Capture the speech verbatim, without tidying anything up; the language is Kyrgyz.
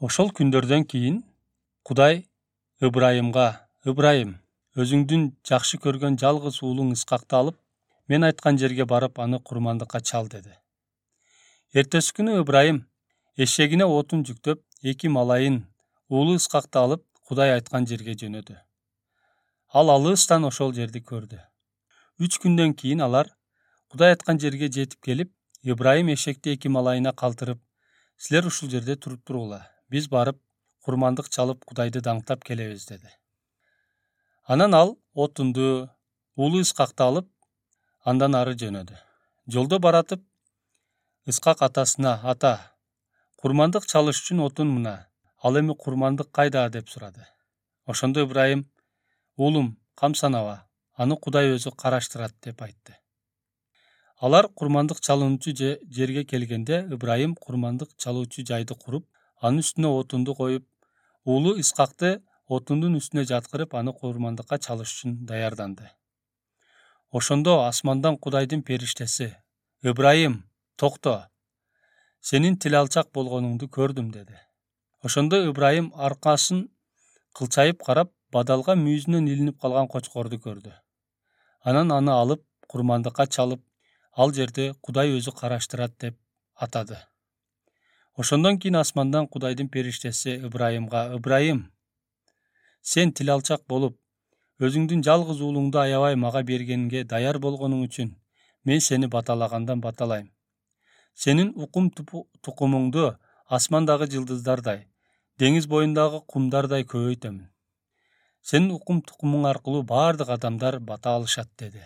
Ошол күндөрдөн кийин Кудай Ыбрайымга: Ыбрайым, өзүңдүн жакшы көргөн жалгыз уулуң Искакты алып, мен айткан жерге барып, аны курмандыкка чал деди. Эртеси күнү Ыбрайым эшегине отун жүктөп, эки малайын, уулу Искакты алып, Кудай айткан жерге жөнөдү. Ал алыстан ошол жерди көрдү. Үч күндөн кийин алар Кудай айткан жерге жетип келип, Ыбрайым эшекти эки малайына калтырып: силер ушул жерде туруп туругула, биз барып курмандык чалып Кудайды даңктап келебиз деди. Анан ал отунду, уулу Искакты алып, андан ары жөнөдү. Жолдо баратып, Искак атасына: ата, курмандык чалыш үчүн отун мына, ал эми курмандык кайда деп сурады. Ошондо Ыбрайым: уулум, камсанаба, аны Кудай өзү караштырат деп айтты. Алар курмандык чалуучу жерге келгенде, Ыбрайым курмандык чалуучу жайды куруп, анын үстүнө отунду коюп, уулу Искакты отундун үстүнө жаткырып, аны курмандыкка чалыш үчүн даярданды. Ошондо асмандан Кудайдын периштеси: Ыбрайым, токто, сенин тил алчак болгонуңду көрдүм деди. Ошондо Ыбрайым аркасын кылчайып карап, бадалга мүйүзүнөн илинип калган кочкорду көрдү. Анан аны алып курмандыкка чалып, ал жерде Кудай өзү караштырат деп атады. Ошондон кийин асмандан Кудайдын периштеси Ыбрайымга: Ыбрайым, сен тил алчак болуп, өзүңдүн жалгыз уулуңду аябай мага бергенге даяр болгонуң үчүн мен сени баталагандан баталайм. Сенин укум тукумуңду асмандагы жылдыздардай, деңиз боюндагы кумдардай көбөйтөмүн. Сенин укум тукумуң аркылуу бардык адамдар бата алышат деди.